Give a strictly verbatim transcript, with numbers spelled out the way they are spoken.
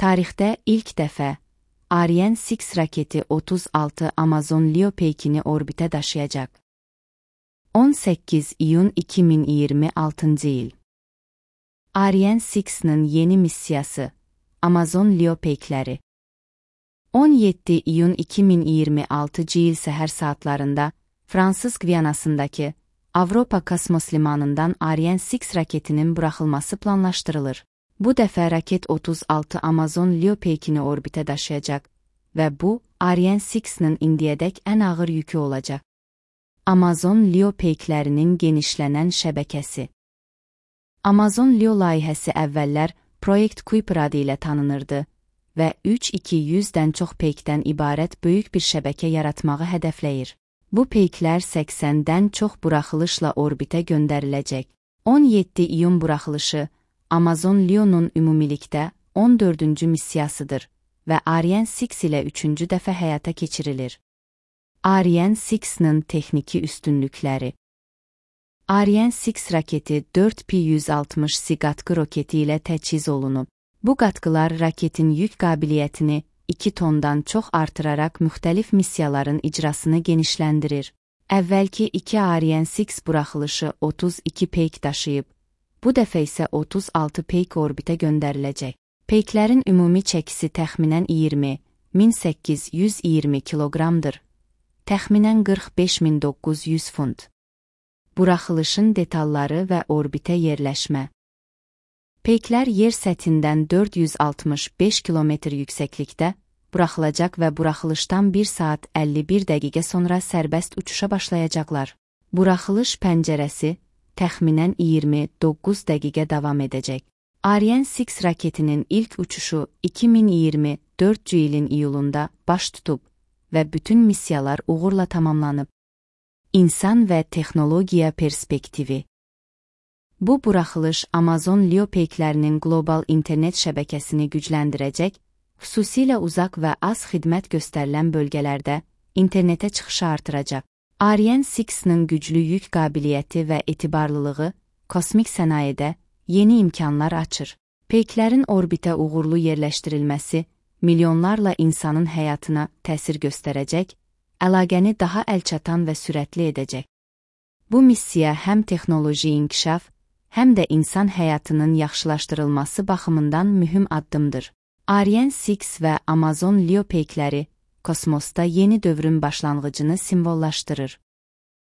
Tarixdə ilk dəfə Ariane altı raketi otuz altı Amazon Leo peykini orbitə daşıyacaq. on səkkiz iyun iki min iyirmi altıncı il. Ariane altının yeni missiyası Amazon Leo peykləri. on yeddi iyun iki min iyirmi altıncı il səhər saatlarında Fransız Gviyanasındakı Avropa kosmos limanından Ariane altı raketinin buraxılması planlaşdırılır. Bu dəfə raket otuz altı Amazon Leo peykini orbitə daşıyacaq və bu, Ariane altının indiyədək ən ağır yükü olacaq. Amazon Leo peyklərinin genişlənən şəbəkəsi. Amazon Leo layihəsi əvvəllər Project Kuiper adı ilə tanınırdı və üç min iki yüzdən çox peykdən ibarət böyük bir şəbəkə yaratmağı hədəfləyir. Bu peyklər səksəndən çox buraxılışla orbitə göndəriləcək. on yeddi iyun buraxılışı Amazon Leo'nun ümumilikdə on dördüncü missiyasıdır və Ariane altı ilə üçüncü dəfə həyata keçirilir. Ariane altının texniki üstünlükləri. Ariane altı raketi dörd pi yüz altmış C qatqı roketi ilə təchiz olunub. Bu qatqılar raketin yük qabiliyyətini iki tondan çox artıraraq müxtəlif missiyaların icrasını genişləndirir. Əvvəlki iki Ariane altı buraxılışı otuz iki peyk daşıyıb, bu dəfə isə otuz altı peyk orbitə göndəriləcək. Peyklərin ümumi çəkisi təxminən iyirmi min səkkiz yüz iyirmi kiloqramdır. Təxminən qırx beş min doqquz yüz funt. Buraxılışın detalları və orbitə yerləşmə. Peyklər yer səthindən dörd yüz altmış beş kilometr yüksəklikdə buraxılacaq və buraxılışdan bir saat əlli bir dəqiqə sonra sərbəst uçuşa başlayacaqlar. Buraxılış pəncərəsi təxminən iyirmi doqquz dəqiqə davam edəcək. Ariane altı raketinin ilk uçuşu iki min iyirmi dördüncü ilin iyulunda baş tutub və bütün missiyalar uğurla tamamlanıb. İnsan və texnologiya perspektivi. Bu buraxılış Amazon Leo peyklərinin qlobal internet şəbəkəsini gücləndirəcək, xüsusilə uzaq və az xidmət göstərilən bölgələrdə internetə çıxışı artıracaq. Ariane altının güclü yük qabiliyyəti və etibarlılığı kosmik sənayedə yeni imkanlar açır. Peyklərin orbitə uğurlu yerləşdirilməsi milyonlarla insanın həyatına təsir göstərəcək, əlaqəni daha əlçatan və sürətli edəcək. Bu missiya həm texnoloji inkişaf, həm də insan həyatının yaxşılaşdırılması baxımından mühüm addımdır. Ariane altı və Amazon Leo peykləri kosmosda yeni dövrün başlanğıcını simvollaşdırır.